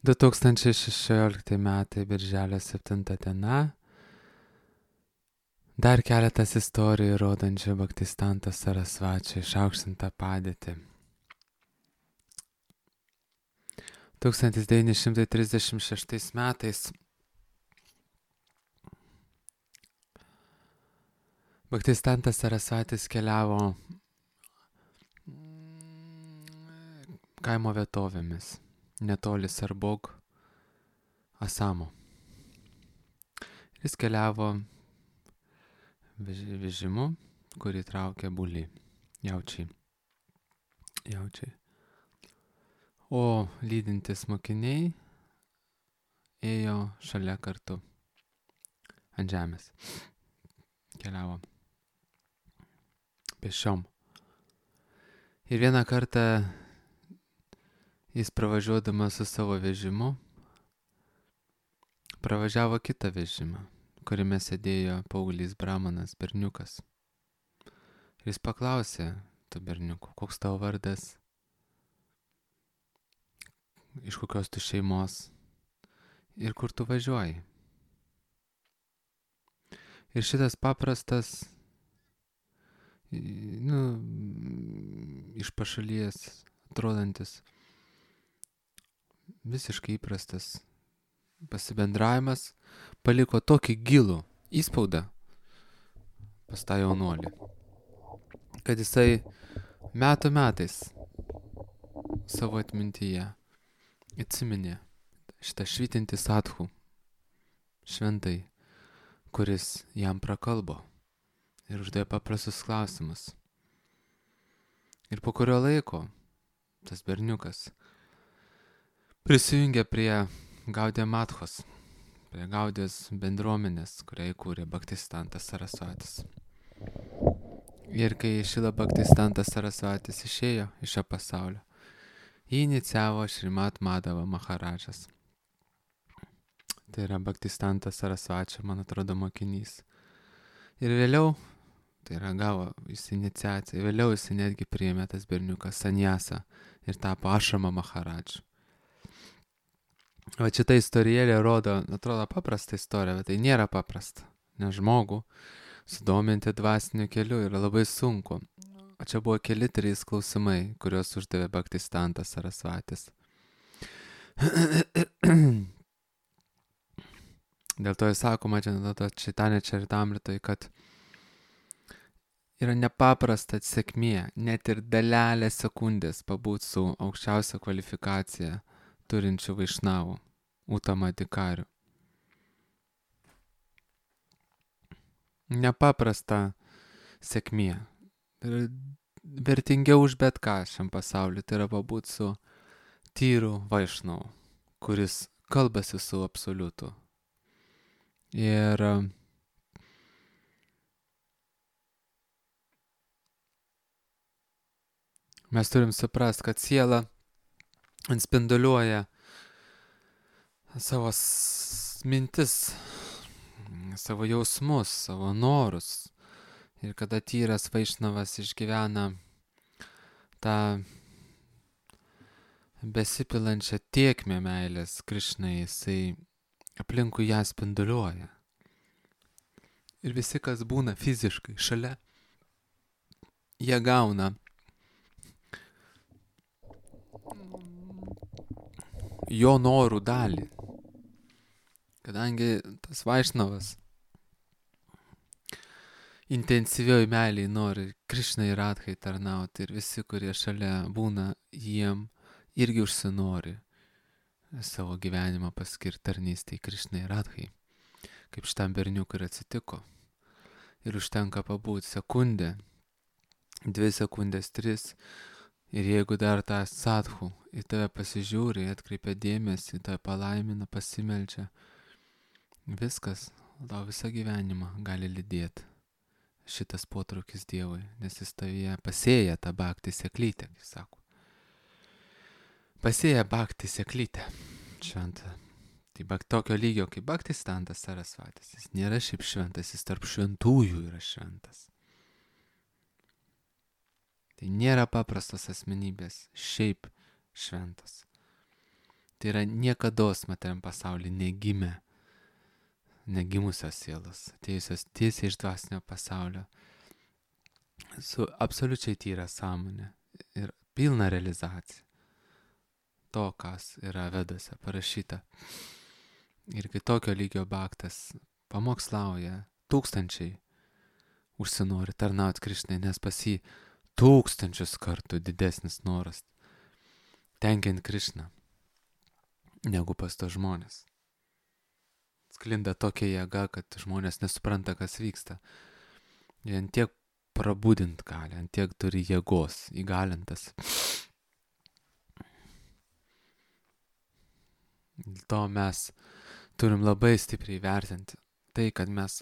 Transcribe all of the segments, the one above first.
2016 metai, birželio 7 diena. Dar keletas istorijų rodančių Bhaktistantą Sarasvačią išaukštintą padėtį. 1936 metais Bhaktistantas Sarasvatis keliavo kaimo vietovėmis, netoli Sarbog, Asamo. Jis keliavo vežimu, kurį traukė buliai, jaučiai. O lydintis mokiniai ėjo šalia kartu ant žemės. Keliavo pešiom. Ir vieną kartą jis pravažiuodamas su savo vežimu pravažiavo kitą vežimą, kuriame sėdėjo paauglys brahmanas, berniukas. Ir jis paklausė tų berniukų, koks tavo vardas, iš kokios tu šeimos ir kur tu važiuoji. Ir šitas paprastas, iš pašalies atrodantis, visiškai įprastas pasibendravimas paliko tokį gilų įspaudą pas tą jaunuolį, kad jisai metais savo atmintyje atsiminė šitą švytintį sadhų, šventai, kuris jam prakalbo ir uždavė paprastus klausimus. Ir po kurio laiko tas berniukas prisijungė prie Gaudija Mathos, prie Gaudijos bendruomenės, kurią įkūrė Bhaktistantas Sarasvatis. Ir kai Šrila Bhaktistantas Sarasvatis išėjo iš šio pasaulio, jį inicijavo Šrimat Madhava Maharadžas. Tai yra Bhaktistantas Sarasvačio, man atrodo, mokinys. Ir vėliau, tai yra gavo jis iniciaciją, vėliau jis netgi priėmė tas berniukas sanjasą ir tapo Ašrama Maharadžu. Va šita istorijėlė rodo, atrodo paprasta istorija, bet tai nėra paprasta, nes žmogų sudominti dvasiniu keliu yra labai sunku. O čia buvo keli 3 klausimai, kuriuos uždavė Bhaktistantas Sarasvatis. Dėl to jis sakoma, Čaitanija Čaritamritoj, kad yra nepaprasta sėkmė, net ir dalelę sekundės pabūt su aukščiausia kvalifikacija turinčių vaišnavų, utamadikarių. Nepaprasta sėkmė. Ir vertingiau už bet ką šiam pasauliu, tai yra pabūt su tyru vaišnavu, kuris kalbasi su absoliutu. Ir mes turim suprast, kad siela atspinduliuoja savo mintis, savo jausmus, savo norus. Ir kada tyras vaišnavas išgyvena tą besipilančią tėkmę meilės Krišnai, jisai aplinkui ją spinduliuoja. Ir visi, kas būna fiziškai šalia, jie gauna jo norų dalį. Kadangi tas vaišnavas intensyvioj meiliai nori Krišnai ir Radhai tarnauti ir visi, kurie šalia būna, jiem irgi užsinori savo gyvenimą paskirti tarnystei Krišnai ir Radhai. Kaip šitam berniukui ir atsitiko. Ir užtenka pabūti sekundę, 2 sekundės, 3. Ir jeigu dar tą sadhų į tave pasižiūri, atkreipia dėmesį, tave palaimina, pasimeldžia, viskas, tau visą gyvenimą gali lydėti šitas potraukis Dievui, nes jis tavyje pasėja tą bhakti sėklytę, kaip sako. Pasėja bhakti sėklytę šventą. Tai tokio lygio kaip Bhaktistantas Sarasvatis, jis nėra šiaip šventas, jis tarp šventųjų yra šventas. Tai nėra paprastas asmenybės, šiaip šventas. Tai yra niekados materiam pasaulyje negimusios sielos, atėjusios tiesiai iš dvasinio pasaulio, su absoliučiai tyra sąmonė ir pilna realizacija to, kas yra Vedose parašyta. Ir kai tokio lygio baktas pamokslauja, tūkstančiai užsinori tarnauti Krišnai, nes pas jį tūkstančius kartų didesnis noras tenkinti Krišną negu pas tos žmonės. Sklinda tokia jėga, kad žmonės nesupranta, kas vyksta. Jie ant tiek prabudint gali, ant tiek turi jėgos, įgalintas. Dėl to mes turim labai stipriai vertinti tai, kad mes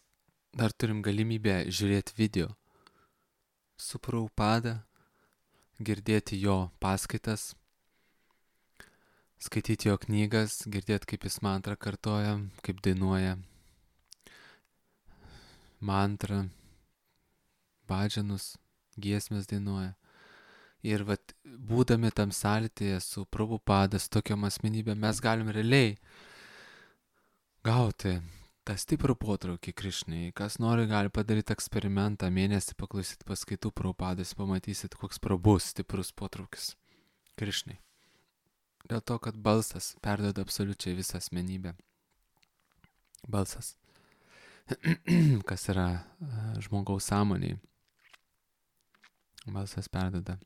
dar turim galimybę žiūrėti video su Prabhupada, girdėti jo paskaitas, skaityti jo knygas, girdėti, kaip jis mantrą kartoja, kaip dainuoja mantrą, bhadžanus, giesmės dainuoja. Ir vat, būdami tam sąlytyje su Prabhupada, su tokiom asmenybėm, mes galim realiai gauti tą stiprų potraukį Krišnai. Kas nori, gali padaryti eksperimentą, mėnesį paklausyti paskaitų Prabhupadas, pamatysit, koks prabus stiprus potraukis Krišnai. Dėl to, kad balsas perduoda absoliučiai visą asmenybę. Balsas. Kas yra žmogaus sąmonėje. Balsas perduoda.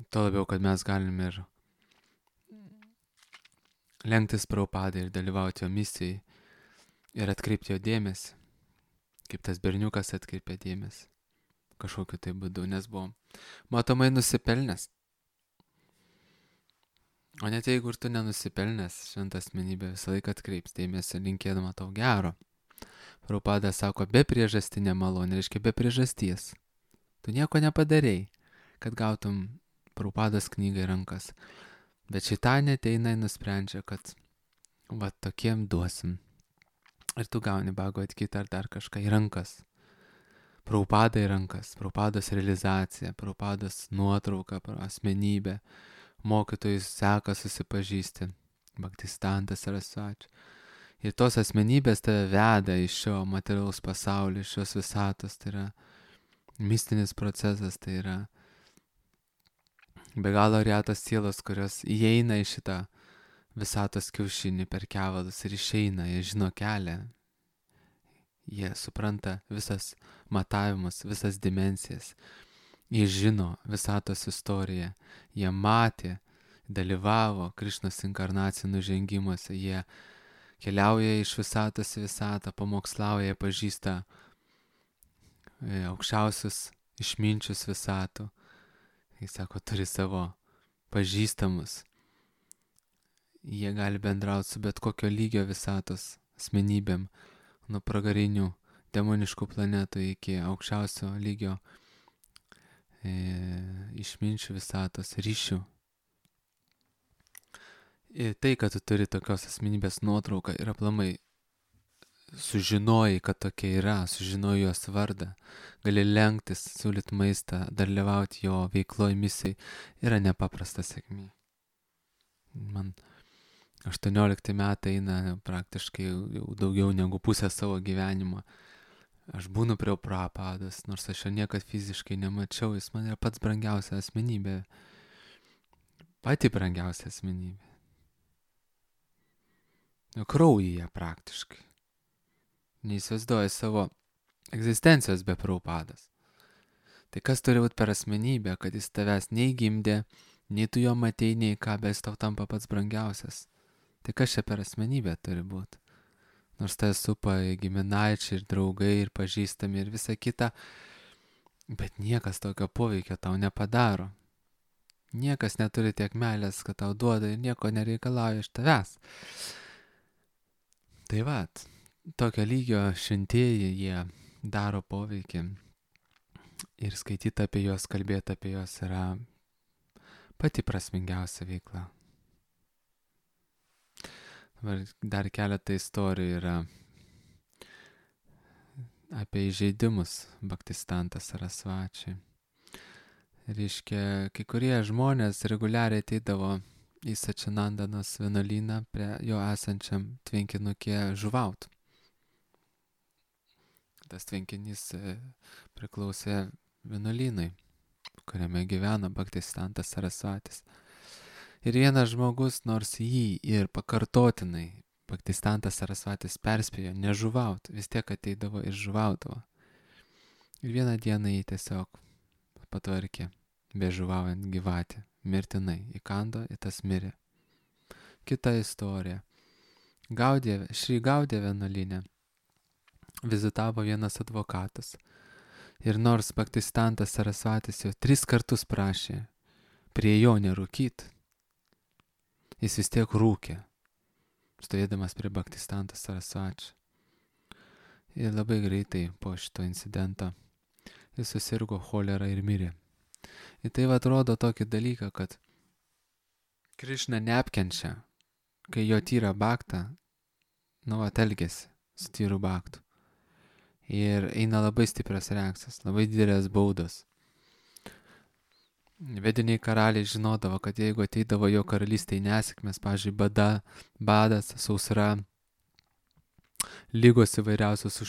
Tuo labiau, kad mes galim ir lenktis Prabhupadai ir dalyvauti jo misijai ir atkreipti jo dėmesį, kaip tas berniukas atkreipė dėmesį kažkokiu tai būdu, nes buvo matomai nusipelnęs. O net jeigu ir tu nenusipelnęs, šventa asmenybė visą laiką atkreips dėmesį, linkėdama tau gero. Prabhupada sako, be priežastinė malonė, reiškia be priežasties. Tu nieko nepadarei, kad gautum Prabhupados knygą į rankas. Bet šitanė ateina ir nusprendžia, kad va tokiem duosim. Ir tu gauni Bhagavad Gitą ar dar kažką į rankas. Prabhupada į rankas, Prabhupados realizacija, Prabhupados nuotrauka, asmenybė, mokytojus seka susipažįsti, Bhaktistantas Sarasvati. Ir tos asmenybės tave veda iš šio materialaus pasaulio, iš šios visatos, tai yra mistinis procesas, tai yra be galo retos sielos, kurios įeina į šitą visatos kiaušinį per kevalus ir išeina, jie žino kelią. Jie supranta visas matavimus, visas dimensijas. Jie žino visatos istoriją. Jie matė, dalyvavo Krišnos inkarnacijų nužengimuose. Jie keliauja iš visatos į visatą, pamokslauja, pažįsta aukščiausius išminčius visatų. Jis sako, turi savo pažįstamus. Jie gali bendrauti su bet kokio lygio visatos asmenybėm, nuo pragarinių demoniškų planetų iki aukščiausio lygio išminčių visatos ryšių. Ir tai, kad tu turi tokios asmenybės nuotrauką ir aplamai sužinojai, kad tokia yra, sužinojai jos vardą, gali lenktis, siūlyti maistą, dalyvauti jo veikloje misijai, yra nepaprasta sėkmė. Man 18 metai eina praktiškai jau daugiau negu pusę savo gyvenimo. Aš būnu prie Prabhupados, nors aš jo niekad fiziškai nemačiau, jis man yra pats brangiausia asmenybė. Pati brangiausia asmenybė. Kraujyje praktiškai. Neįsivaizduoju savo egzistencijos be Prabhupados. Tai kas turi būti per asmenybę, kad jis tavęs nei gimdė, nei tu jo matei, nei ką, bet jis tau tampa pats brangiausias. Tai kas čia per asmenybę turi būti? Nors tai supa giminaičiai ir draugai ir pažįstami ir visa kita, bet niekas tokio poveikio tau nepadaro. Niekas neturi tiek meilės, kad tau duoda ir nieko nereikalauja iš tavęs. Tai vat, tokio lygio šventieji jie daro poveikį ir skaityti apie juos, kalbėti apie juos yra pati prasmingiausia veikla. Dar keletą istorijų yra apie įžeidimus Bhaktisiddhanta Sarasvačiui. Reiškia, kai kurie žmonės reguliariai ateidavo į Sačinandanos vienuolyną prie jo esančiam tvenkinukė žuvaut. Tas tvenkinys priklausė vienuolynui, kuriame gyveno Bhaktisiddhantas Sarasvatis. Ir vienas žmogus, nors jį ir pakartotinai Bhaktisiddhantas Sarasvatis perspėjo nežuvaut, vis tiek ateidavo ir žuvaudavo. Ir vieną dieną jį tiesiog patvarkė, bežuvaujant gyvatį, mirtinai įkando, į tas mirė. Kita istorija. Šri Gaudė vienuolyne vizitavo vienas advokatas. Ir nors Bhaktisiddhantas Sarasvatis jau 3 kartus prašė prie jo nerūkyt, jis vis tiek rūkė, stovėdamas prie Bhaktisiddhanto Sarasvačio. Ir labai greitai po šito incidento jis susirgo cholera ir mirė. Ir tai atrodo tokį dalyką, kad Krišna neapkenčia, kai jo tyra bhaktą, elgiasi su tyru bhaktu. Ir eina labai stiprios reakcijos, labai didelės baudos. Vediniai karaliai žinodavo, kad jeigu ateidavo jo karalystėje nesėkmės, pavyzdžiui, badas, sausra, lygos įvairiausios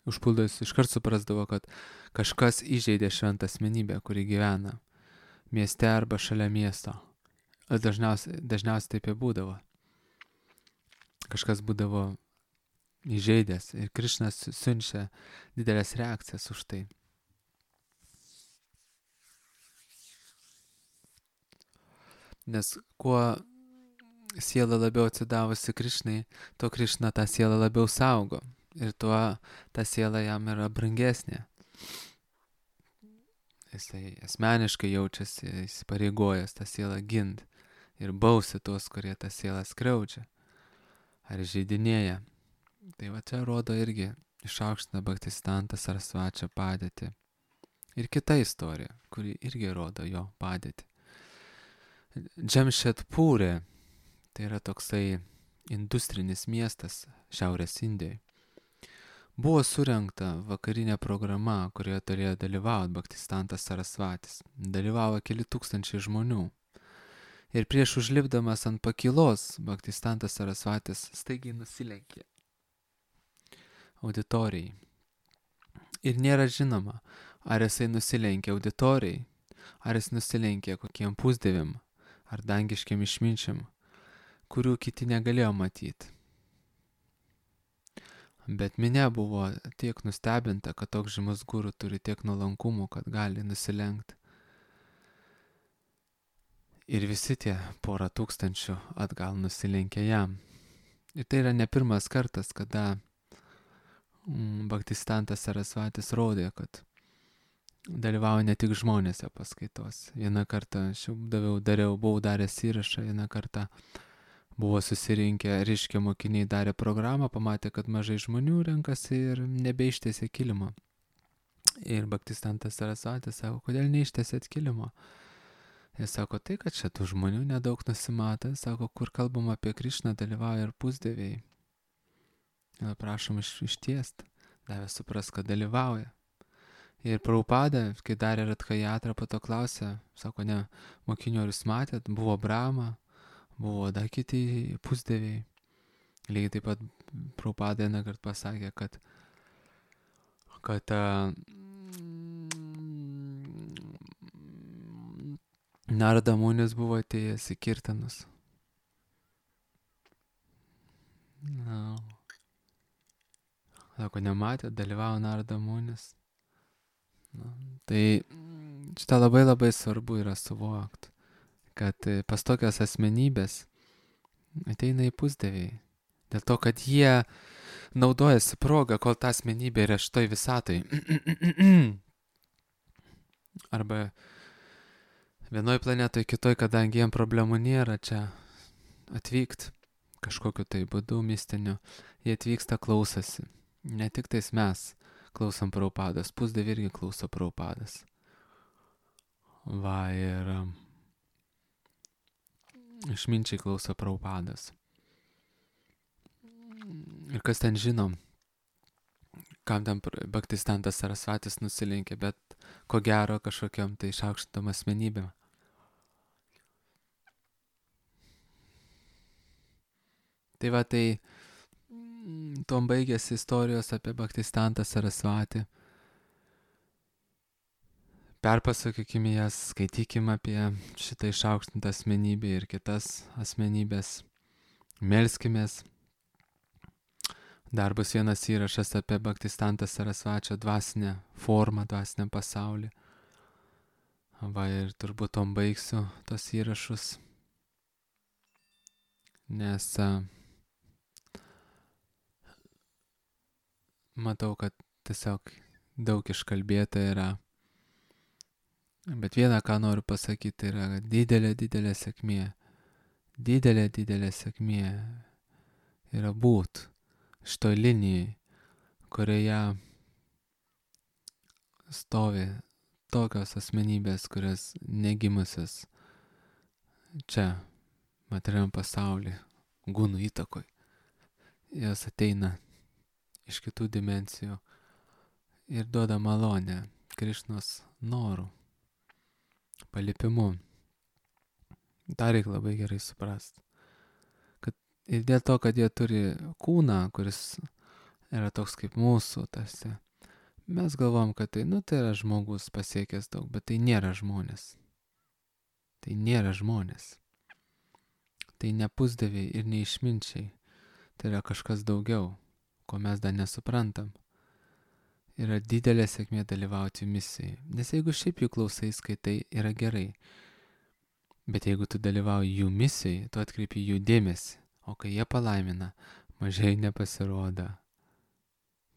užpuldos, iškart suprasdavo, kad kažkas įžeidė šventą asmenybę, kuri gyvena mieste arba šalia miesto. Dažniausiai taip ir būdavo. Kažkas būdavo įžeidęs ir Krišnas siunčia didelės reakcijas už tai. Nes kuo siela labiau atsidavusi Krišnai, tuo Krišna tą sielą labiau saugo ir tuo ta siela jam yra brangesnė. Jisai asmeniškai jaučiasi įsipareigojęs tą sielą gint ir bausi tuos, kurie tą sielą skriaudžia ar žeidinėja. Tai čia rodo irgi išaukština Bhaktisiddhantą Sarasvačio padėtį. Ir kita istorija, kuri irgi rodo jo padėtį. Džemšedpūrė, tai yra toksai industrinis miestas Šiaurės Indijoje. Buvo surengta vakarinė programa, kurioje turėjo dalyvauti Bhaktisiddhantas Sarasvatis. Dalyvavo keli tūkstančiai žmonių. Ir prieš užlipdamas ant pakylos, Bhaktisiddhantas Sarasvatis staigiai nusilenkė auditorijai. Ir nėra žinoma, ar jisai nusilenkė auditorijai, ar jis nusilenkė kokiem pusdieviam, ar dangiškiam išminčiam, kurių kiti negalėjo matyti. Bet minia buvo tiek nustebinta, kad toks žymus guru turi tiek nuolankumo, kad gali nusilenkti. Ir visi tie 100 tūkstančių atgal nusilenkė jam. Ir tai yra ne pirmas kartas, kada Bhaktisiddhantas Sarasvatis rodė, kad dalyvauja ne tik žmonėse paskaitos. Vieną kartą aš buvau daręs įrašą, vieną kartą buvo susirinkę ryškia mokiniai, darė programą, pamatė, kad mažai žmonių renkasi ir nebeištėsė kilimo. Ir Bhaktisiddhantas Sarasvatis sako, kodėl neištėsėt kilimo? Jis sako, tai, kad čia tų žmonių nedaug nusimato, sako, kur kalbam apie Krišną, dalyvauja ir pusdieviai. Prašom ištiest, davė supras, kad dalyvauja. Ir Prabhupada, kai darė Radhajatrą, po to klausė, sako, ne, mokinių ar jūs matėt, buvo Brahma, buvo dar kiti pusdieviai. Lygiai taip pat Prabhupada vieną kartą pasakė, kad Narada Munis buvo atėjęs į kirtanus. Sako, nematė, dalyvavo Narada Munis. Tai šitą labai svarbu yra suvokti, kad pas tokias asmenybės ateina į pusdieviai. Dėl to, kad jie naudojasi progą, kol ta asmenybė yra šitoj visatoj. Arba vienoj planetoj, kitoj, kadangi jiem problemų nėra čia atvykt kažkokiu tai būdu mistiniu, jie atvyksta, klausosi. Ne tik tais mes klausom Prabhupados, pusdieviai irgi klauso Prabhupados. Va, ir išminčiai klauso Prabhupados. Ir kas ten žino, kam ten Bhaktistantas Sarasvatis nusilenkė, bet ko gero kažkokiam tai išaukštintom asmenybėm. Tai va, tai tuom baigėsi istorijos apie Bhaktistantą Sarasvatį. Perpasakykime jas, skaitykime apie šitą išaukštintą asmenybę ir kitas asmenybės. Melskimės. Dar bus vienas įrašas apie Bhaktistantą Sarasvačio dvasinę formą, dvasinę pasaulį. Va, ir turbūt tom baigsiu tos įrašus. Nes matau, kad tiesiog daug iškalbėta yra. Bet vieną, ką noriu pasakyti, yra didelė sėkmė. Didelė sėkmė yra būt šitoj linijai, kurioje stovi tokios asmenybės, kurios negimusios čia, materialiam pasauly, gūnų įtakoj. Jos ateina iš kitų dimensijų ir duoda malonę Krišnos norų, palipimu. Tą reikia labai gerai suprasti. Ir dėl to, kad jie turi kūną, kuris yra toks kaip mūsų, tarsi, mes galvom, kad tai yra žmogus pasiekęs daug, bet tai nėra žmonės. Tai nėra žmonės. Tai ne pusdieviai ir neišminčiai. Tai yra kažkas daugiau, ko mes dar nesuprantam. Yra didelė sėkmė dalyvauti misijai. Nes jeigu šiaip jų klausai, skaitai, yra gerai. Bet jeigu tu dalyvauji jų misijai, tu atkreipi jų dėmesį. O kai jie palaimina, mažai nepasirodo.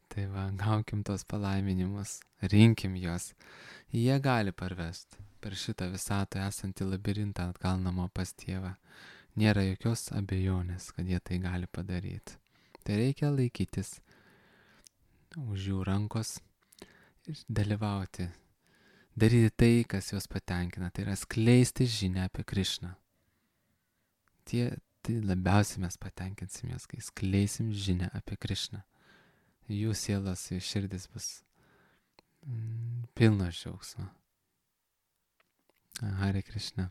Tai va, gaukim tos palaiminimus, rinkim juos. Jie gali parvesti per šitą visatą esantį labirintą atgal namo pas tėvą. Nėra jokios abejonės, kad jie tai gali padaryti. Tai reikia laikytis už jų rankos ir dalyvauti. Daryti tai, kas juos patenkina. Tai yra skleisti žinią apie Krišną. Tai labiausiai mes patenkinsimės, kai skleisim žinią apie Krišną. Jų sielos, jų širdis bus pilnos džiaugsmo. Hare Krishna.